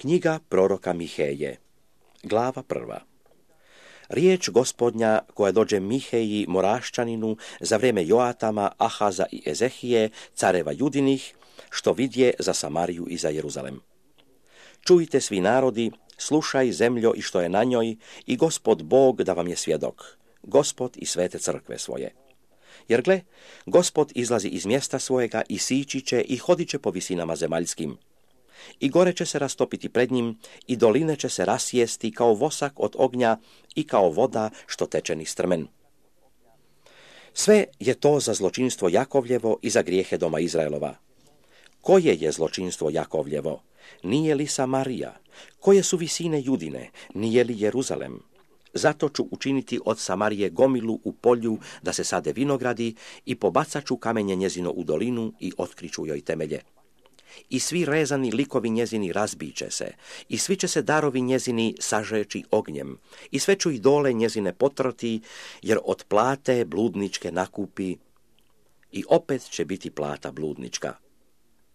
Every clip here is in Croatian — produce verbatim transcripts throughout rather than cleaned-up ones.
Knjiga proroka Miheje, glava prva. Riječ Gospodnja koja dođe Miheji Moraščaninu za vrijeme Joatama, Ahaza i Ezehije, careva Judinih, što vidje za Samariju i za Jeruzalem. Čujte svi narodi, slušaj zemljo i što je na njoj, i Gospod Bog da vam je svjedok, Gospod i svete crkve svoje. Jer gle, Gospod izlazi iz mjesta svojega i sići će i hodit će po visinama zemaljskim. I gore će se rastopiti pred njim, i doline će se rasjesti kao vosak od ognja i kao voda što teče niz strmen. Sve je to za zločinstvo Jakovljevo i za grijehe doma Izraelova. Koje je zločinstvo Jakovljevo? Nije li Samarija? Koje su visine Judine? Nije li Jeruzalem? Zato ću učiniti od Samarije gomilu u polju da se sade vinogradi i pobacat ću kamenje njezino u dolinu i otkriću joj temelje. I svi rezani likovi njezini razbiće se, i svi će se darovi njezini sažeći ognjem, i sve ću i dole njezine potrati, jer od plate bludničke nakupi, i opet će biti plata bludnička.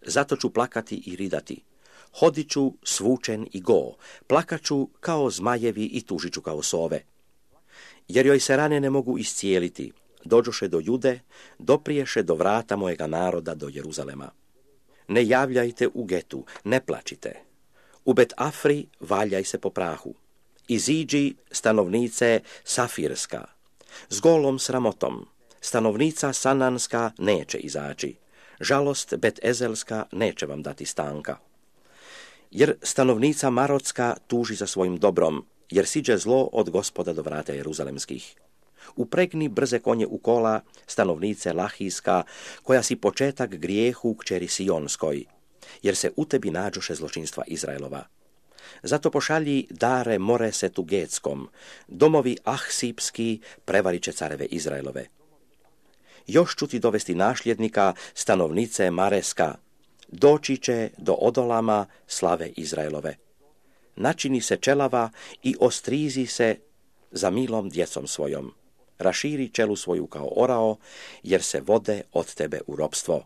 Zato ću plakati i ridati, hodit ću svučen i go, plakaću kao zmajevi i tužit ću kao sove. Jer joj se rane ne mogu iscijeliti, dođoše do Jude, dopriješe do vrata mojega naroda do Jeruzalema. Ne javljajte u Getu, ne plačite. U Bet Afri valjaj se po prahu. Iziđi, stanovnice Safirska. S golom sramotom. Stanovnica Sananska neće izaći. Žalost Bet Ezelska neće vam dati stanka. Jer stanovnica Marotska tuži za svojim dobrom, jer siđe zlo od Gospoda do vrata Jeruzalemskih. Upregni brze konje u kola, stanovnice Lahijska, koja si početak grijehu kćeri Sionskoj, jer se u tebi nađoše zločinstva Izraelova. Zato pošalji dare Moresetu Getskom, domovi Ahsipski prevarit će careve Izraelove. Još ću ti dovesti našljednika, stanovnice Mareska, doći će do Odolama slave Izraelove. Načini se čelava i ostrizi se za milom djecom svojom. Raširi čelu svoju kao orao, jer se vode od tebe u ropstvo.